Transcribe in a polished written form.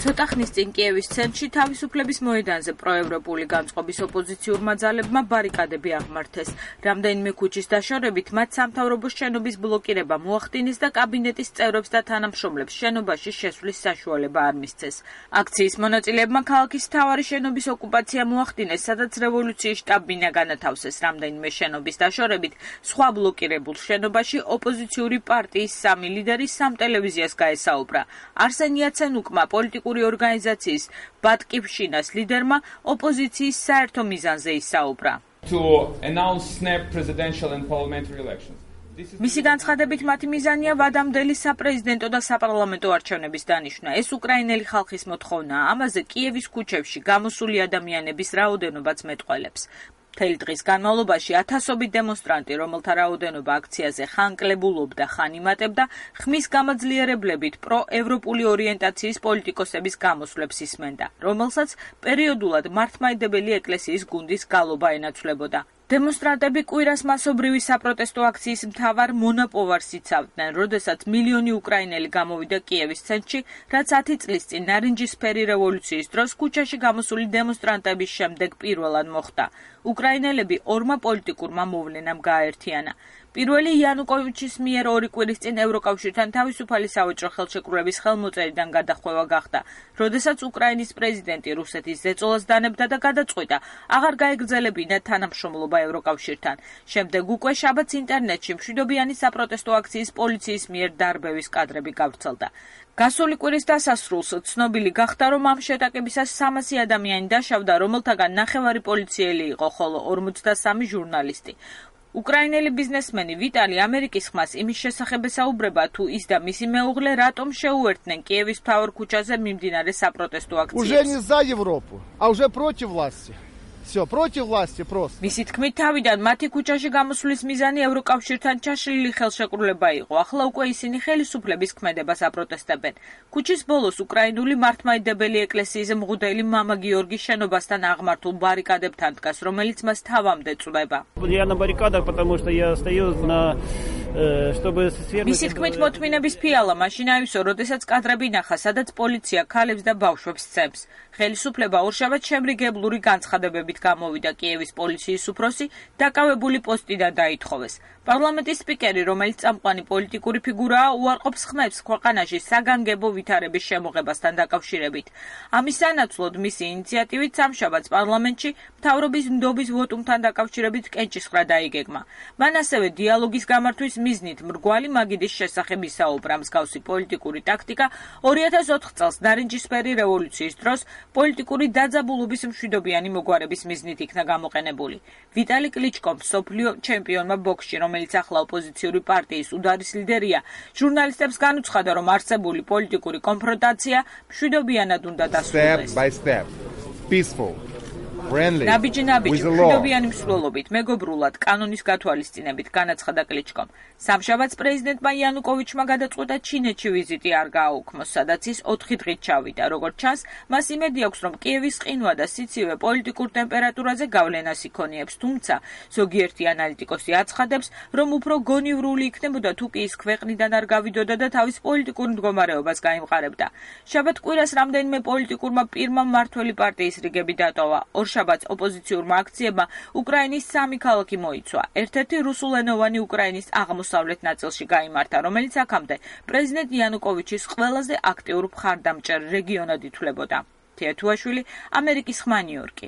ცოტა ხნის წინ კიევის ცენტრში თავისუფლების მოედანზე პროევროპული განწყობის ოპოზიციურმა ძალებმა ბარიკადები აღმართეს. რამდენიმე ქუჩის დაშორებით მათ სამთავრობო შენობის ბლოკირება მოახდინეს და კაბინეტის წევრებს და თანამშრომლებს შენობაში შესვლის საშუალება არ მისცეს. აქციის მონაწილეებმა ქალაქის მთავარი შენობის ოკუპაცია მოახდინეს, სადაც რევოლუციის შტაბ-ბინა განათავსეს. რამდენიმე შენობის დაშორებით სხვა ბლოკირებულ შენობაში ოპოზიციური პარტიის სამი ლიდერი სამ ტელევიზიას გაესაუბრა. არსენ იაცენუკმა პოლიტიკური ორგანიზაციის ბატკიფშინას ლიდერმა ოპოზიციის საერთო მიზანზე ისაუბრა. მისი განცხადებით მათი მიზანია ვადამდელი საპრეზიდენტო და საპარლამენტო არჩევნების დანიშვნა. ეს უკრაინელი ხალხის მოთხოვნაა. ამაზე კიევის ქუჩებში გამოსული ადამიანების რაოდენობაც მეტყველებს. მთელი დღის განმავლობაში ათასობით დემონსტრანტი, რომელთა რაოდენობა აქციაზე ხან კლებულობდა, ხან იმატებდა, ხმის გამაძლიერებლებით პროევროპული ორიენტაციის პოლიტიკოსების გამოსვლებს ისმენდა, რომელსაც პერიოდულად მართლმადიდებელი ეკლესიის გუნდის გალობა ენაცვლებოდა. დემონსტრანტები კვირას მასობრივი საპროტესტო აქციის მთავარ მონაპოვარს იცავდნენ, როდესაც მილიონი უკრაინელი გამოვიდა კიევის ცენტრში, რაც 10 წლის წინ ნარინჯისფერი რევოლუციის დროს ქუჩაში გამოსული დემონსტრანტების შემდეგ პირველად მოხდა. უკრაინელები ორმა პოლიტიკურმა მოვლენამ გააერთიანა. პირველი იანუკოვიჩის მიერ 2 კვირის წინ ევროკავშირთან თავისუფალი სავაჭრო ხელშეკრულების ხელმოწერიდან გადახვევა გახდა, როდესაც უკრაინის პრეზიდენტი რუსეთის ზეწოლას დანებდა და გადაწყვიტა აღარ გაეგრძელებინა თანამშრომლობა ევროკავშირთან. შემდეგ უკვე შაბათს ინტერნეტში მშვიდობიანი საპროტესტო აქციის პოლიციის მიერ დარბევის კადრები გავრცელდა. გასული კვირის დასასრულს ცნობილი გახდა, რომ ამ შეტაკებისას 300 ადამიანი დაშავდა, რომელთაგან ნახევარი პოლიციელი იყო, ხოლო 53 ჟურნალისტი. უკრაინელი ბიზნესმენი ვიტალი ამერიკის ხმას იმის შესახებ ესაუბრება, თუ ის და მისი მეუღლე რატომ შეუერთდნენ კიევის მთავარ ქუჩაზე მიმდინარე საპროტესტო აქციებს. Уже не за Европу, а уже против власти. Всё, против власти просто. მისი თქმით, თავიდან მათი ქუჩაში გამოსვლის მიზანი ევროკავშირთან ჩაშლილი ხელშეკრულება იყო. ახლა უკვე ისინი ხელისუფლების ქმედებას აპროტესტებენ. ქუჩის ბოლოს უკრაინული მართლმადიდებელი ეკლესიის მღვდელი მამა გიორგის შენობასთან აღმართულ ბარიკადებთან დგას, რომელიც მას თავამდე წვდება. Я на баррикадах, потому что я стою на чтобы მისი თქმით, მოთმინების ფიალა მაშინ აივსო, როდესაც კადრები ნახა, სადაც პოლიცია ქალებს და ბავშვებს სცემს. ხელისუფლება ორშაბათს შემრიგებლური განცხადებებით გამოვიდა. კიევის პოლიციის უფროსი დაკავებული პოსტიდან დაითხოვეს. პარლამენტის სპიკერი, რომელიც წამყვანი პოლიტიკური ფიგურაა, უარყოფს ხმებს ქვეყანაში საგანგებო ვითარების შემოღებასთან დაკავშირებით. ამის სანაცვლოდ მისი ინიციატივით სამშაბათს პარლამენტში მთავრობის ნდობის ვოტუმთან დაკავშირებით კენჭისყრა დაიგეგმა. მან ასევე დიალოგის გამართვის მიზნით მრგვალი მაგიდის შესახებ ისაუბრა. მსგავსი პოლიტიკური ტაქტიკა 2004 წელს ნარინჯისფერი რევოლუციის დროს პოლიტიკური დაძაბულობის მშვიდობიანი მოგვარების მიზნით იქნა გამოყენებული. ვიტალი კლიჩკომ, მსოფლიო ჩემპიონმა ბოქსში, რომელიც ახლა ოპოზიციური პარტიის უდარის ლიდერია, ჟურნალისტებს განუცხადა, რომ არსებული პოლიტიკური კონფრონტაცია მშვიდობიანად უნდა დასრულდეს. Step by step, peaceful. ნაბიჯი-ნაბიჯი, მშვიდობიანი მსვლელობით, მეგობრულად, კანონის გათვალისწინებით, განაცხადა კლიჩკომ. სამშაბათს პრეზიდენტმა იანუკოვიჩმა გადაწყვიტა ჩინეთში ვიზიტი არ გააუქმოს, სადაც ის 4 დღით ჩავიდა. როგორც ჩანს, მას იმედი აქვს, რომ კიევის ყინვა და სიცივე პოლიტიკურ ტემპერატურაზე გავლენას იქონიებს, თუმცა ზოგიერთი ანალიტიკოსი აცხადებს, რომ უფრო გონივრული იქნებოდა თუ კი ის ქვეყნიდან არ გავიდოდა და თავის პოლიტიკურ მდგომარეობას გაიმყარებდა. შაბათ კვირას რამდენიმე პოლიტიკურმა პირმა მმართველი პარტიის რიგები დატოვა. შაბათს ოპოზიციურმა აქციებმა უკრაინის 3 ქალაქი მოიცვა. ერთ-ერთი რუსულენოვანი უკრაინის აღმოსავლეთ ნაწილში გაიმართა, რომელიც აქამდე პრეზიდენტ იანუკოვიჩის ყველაზე აქტიურ მხარდამჭერ რეგიონად ითვლებოდა. თეათუაშვილი, ამერიკის ხმა, ნიუ-იორკი.